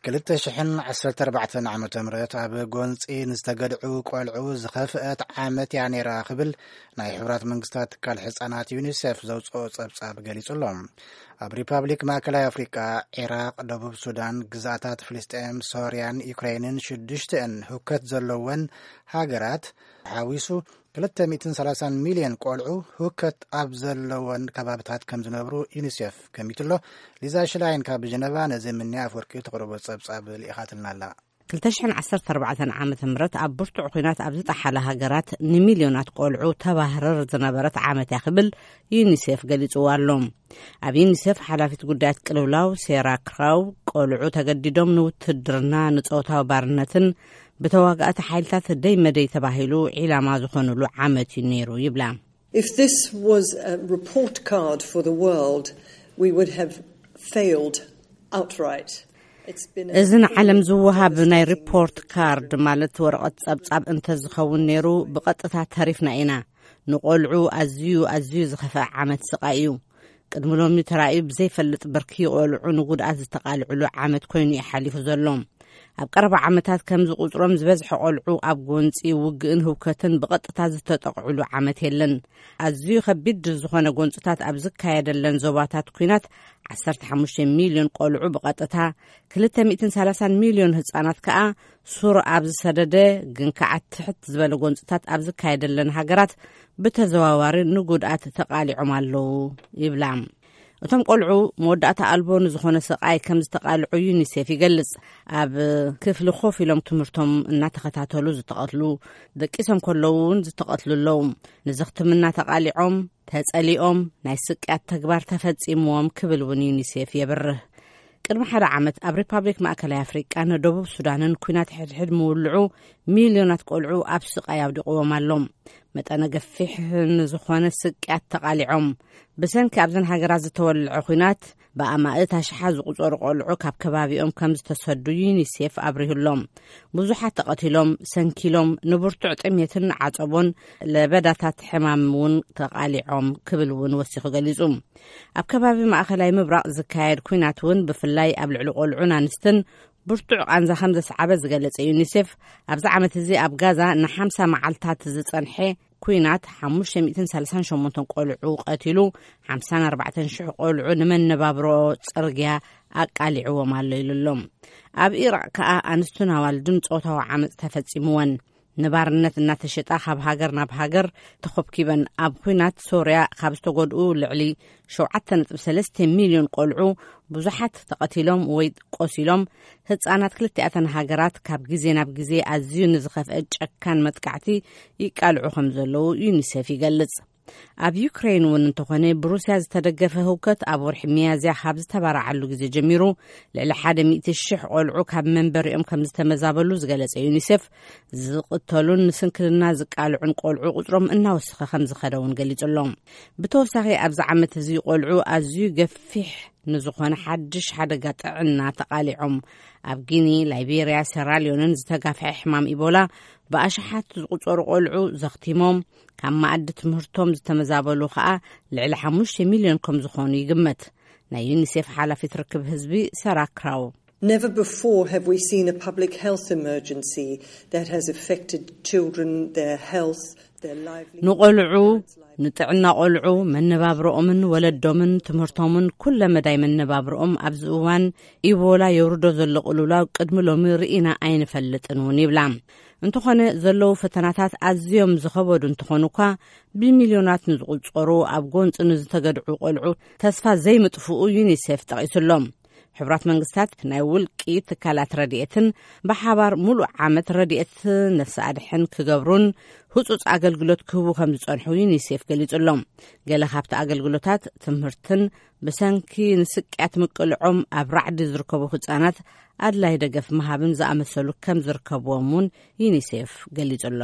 ክልተ ሽሕን ዓሰርተ ኣርባዕተን ዓመተ ምህረት ኣብ ጎንጺ ንዝተገድዑ ቆልዑ ዝኸፍአት ዓመት እያ ነይራ ክብል ናይ ሕቡራት መንግስታት ትካል ሕጻናት ዩኒሴፍ ዘውጽኦ ጸብጻብ ገሊጹ ኣሎ። ኣብ ሪፓብሊክ ማእከላይ ኣፍሪቃ፣ ዒራቕ፣ ደቡብ ሱዳን፣ ግዛኣታት ፍልስጤም፣ ሶርያን ዩክሬንን ሽዱሽተን ህውከት ዘለወን ሃገራት ሓዊሱ ክልተ ሚእትን ሰላሳን ሚልዮን ቆልዑ ህውከት ኣብ ዘለወን ከባብታት ከም ዝነብሩ ዩኒሴፍ ገሚቱ ኣሎ። ሊዛ ሽላይን ካብ ጀነቫ ነዚ ምንያ ኣፍወርቂ ተቕርቦ ጸብጻብ ልኢኻትልና ኣላ። ክልተ ሽሕን ዓሰርተ ኣርባዕተን ዓመተ ምህረት ኣብ ብርቱዕ ኲናት ኣብ ዝጠሓላ ሃገራት ንሚልዮናት ቆልዑ ተባህርር ዝነበረት ዓመት እያ ክብል ዩኒሴፍ ገሊጽዋ ኣሎ። ኣብ ዩኒሴፍ ሓላፊት ጉዳያት ቅልውላው ሴራ ክራው፣ ቆልዑ ተገዲዶም ንውትድርና፣ ንጾታዊ ባርነትን ብተዋጋእቲ ሓይልታት ደይ መደይ ተባሂሉ ዒላማ ዝኾኑሉ ዓመት እዩ ነይሩ ይብላ። If this was a report card for the world, we would have failed outright. It's been a እዚ ንዓለም ዝወሃብ ናይ ሪፖርት ካርድ ማለት ወረቐት ጸብጻብ እንተዝኸውን ነይሩ፣ ብቐጥታ ተሪፍና ኢና። ንቆልዑ ኣዝዩ ኣዝዩ ዝኸፍአ ዓመት ስቓይ እዩ። ቅድሚ ሎሚ ተራእዩ ብዘይፈልጥ ብርኪ ቆልዑ ንጉድኣት ዝተቓልዕሉ ዓመት ኮይኑ እዩ ሓሊፉ ዘሎ። ኣብ ቀረባ ዓመታት ከምዚ ቁጽሮም ዝበዝሐ ቆልዑ ኣብ ጎንጺ ውግእን ህውከትን ብቐጥታ ዝተጠቕዕሉ ዓመት የለን። ኣዝዩ ከቢድ ዝኾነ ጎንጽታት ኣብ ዝካየደለን ዞባታት ኲናት ዓሰርተ ሓሙሽተ ሚልዮን ቆልዑ ብቐጥታ፣ ክልተ ሚእትን ሰላሳን ሚልዮን ህጻናት ከኣ ሱር ኣብ ዝሰደደ ግን ከኣ ትሕት ዝበለ ጎንጽታት ኣብ ዝካየደለን ሃገራት ብተዘዋዋሪ ንጉድኣት ተቓሊዖም ኣለዉ ይብላ። እቶም ቆልዑ መወዳእታ ኣልቦ ንዝኾነ ስቓይ ከም ዝተቓልዑ ዩኒሴፍ ይገልጽ። ኣብ ክፍሊ ኮፍ ኢሎም ትምህርቶም እናተኸታተሉ ዝተቐትሉ፣ ደቂሶም ከለዉ እውን ዝተቐትሉ ኣለዉ። ንዘኽትምና ተቓሊዖም፣ ተጸሊኦም፣ ናይ ስቅያት ተግባር ተፈጺምዎም ክብል እውን ዩኒሴፍ የብርህ። ቅድሚ ሓደ ዓመት ኣብ ሪፓብሊክ ማእከላይ ኣፍሪቃ ንደቡብ ሱዳንን ኲናት ሕድሕድ ምውልዑ ሚልዮናት ቆልዑ ኣብ ስቓይ ኣውዲቕዎም ኣሎ። መጠነ ገፊሕ ንዝኾነ ስቅያት ተቓሊዖም። ብሰንኪ ኣብዘን ሃገራት ዝተወልዐ ኲናት ብኣማእት ኣሽሓት ዝቑጸሩ ቆልዑ ካብ ከባቢኦም ከም ዝተሰዱ ዩኒሴፍ ኣብሪሁሎም። ብዙሓት ተቐቲሎም፣ ሰንኪሎም፣ ንብርቱዕ ጥሜትን ዓጸቦን ለበዳታት ሕማም እውን ተቓሊዖም ክብል እውን ወሲኹ ገሊጹ። ኣብ ከባቢ ማእከላይ ምብራቕ ዝካየድ ኲናት እውን ብፍላይ ኣብ ልዕሊ ቆልዑን ኣንስትን ብርቱዕ ቃንዛ ከም ዘስዓበ ዝገለጸ ዩኒሴፍ፣ ኣብዚ ዓመት እዚ ኣብ ጋዛ ንሓምሳ መዓልታት ዝጸንሐ ኲናት ሓሙሽተ ሚእትን ሰላሳን ሸሞንተን ቆልዑ ቀቲሉ፣ ሓምሳን ኣርባዕተን ሽሕ ቆልዑ ንመነባብሮ ጽርግያ ኣቃሊዕዎም ኣሎ ኢሉ ኣሎ። ኣብ ኢራቕ ከኣ ኣንስቱን ኣዋልድን ጾታዊ ዓመጽ ተፈጺምወን። ንባርነት እናተሸጣ ካብ ሃገር ናብ ሃገር ተኾብኪበን። ኣብ ኲናት ሶርያ ካብ ዝተጎድኡ ልዕሊ ሸውዓተ ነጥቢ ሰለስተ ሚልዮን ቆልዑ ብዙሓት ተቐቲሎም ወይ ቆሲሎም። ህጻናት ክልቲኣተን ሃገራት ካብ ግዜ ናብ ግዜ ኣዝዩ ንዝኸፍአ ጨካን መጥቃዕቲ ይቃልዑ ከም ዘለዉ ዩኒሴፍ ይገልጽ። ኣብ ዩክሬን እውን እንተኾነ ብሩስያ ዝተደገፈ ህውከት ኣብ ወርሒ ሚያዝያ ካብ ዝተባራዓሉ ግዜ ጀሚሩ ልዕሊ ሓደ ሚእቲ ሽሕ ቆልዑ ካብ መንበሪኦም ከም ዝተመዛበሉ ዝገለጸ ዩኒሴፍ፣ ዝቕተሉን ንስንክልና ዝቃልዑን ቆልዑ ቁጽሮም እናወሰኸ ከም ዝኸደ እውን ገሊጹ ኣሎ። ብተወሳኺ ኣብዚ ዓመት እዚ ቆልዑ ኣዝዩ ገፊሕ ንዝኾነ ሓድሽ ሓደጋ ጥዕና ተቓሊዖም። ኣብ ጊኒ፣ ላይቤርያ፣ ሴራልዮንን ዝተጋፍሐ ሕማም ኢቦላ ብኣሽሓት ዝቑጸሩ ቆልዑ ዘኽቲሞም። ካብ መኣዲ ትምህርቶም ዝተመዛበሉ ኸኣ ልዕሊ ሓሙሽተ ሚልዮን ከም ዝኾኑ ይግመት። ናይ ዩኒሴፍ ሓላፊት ርክብ ህዝቢ ሰራ ክራው። Never before have we seen a public health emergency that has affected children, their health, their livelihood. ንቆልዑ፣ ንጥዕና ቆልዑ፣ መነባብሮኦምን ወለዶምን ትምህርቶምን ኩለ መዳይ መነባብሮኦም ኣብዚ እዋን ኢቦላ የውርዶ ዘሎ ቅልውላው ቅድሚ ሎሚ ርኢና ኣይንፈልጥን እውን ይብላ። እንተኾነ ዘለዉ ፈተናታት ኣዝዮም ዝኸበዱ እንተኾኑ እኳ ብሚልዮናት ንዝቑጸሩ ኣብ ጎንፂ ንዝተገድዑ ቆልዑ ተስፋ ዘይምጥፍኡ ዩኒሴፍ ጠቒሱሎም። ሕቡራት መንግስታት ናይ ውልቂ ትካላት ረድኤትን ብሓባር ሙሉእ ዓመት ረድኤት ነፍሲ ኣድሕን ክገብሩን ህጹጽ ኣገልግሎት ክህቡ ከም ዝጸንሑ ዩኒሴፍ ገሊጹ ኣሎ። ገለ ካብቲ ኣገልግሎታት ትምህርትን ብሰንኪ ንስቅያት ምቅልዖም ኣብ ራዕዲ ዝርከቡ ህጻናት ኣድላይ ደገፍ ምሃብን ዝኣመሰሉ ከም ዝርከብዎም እውን ዩኒሴፍ ገሊጹ ኣሎ።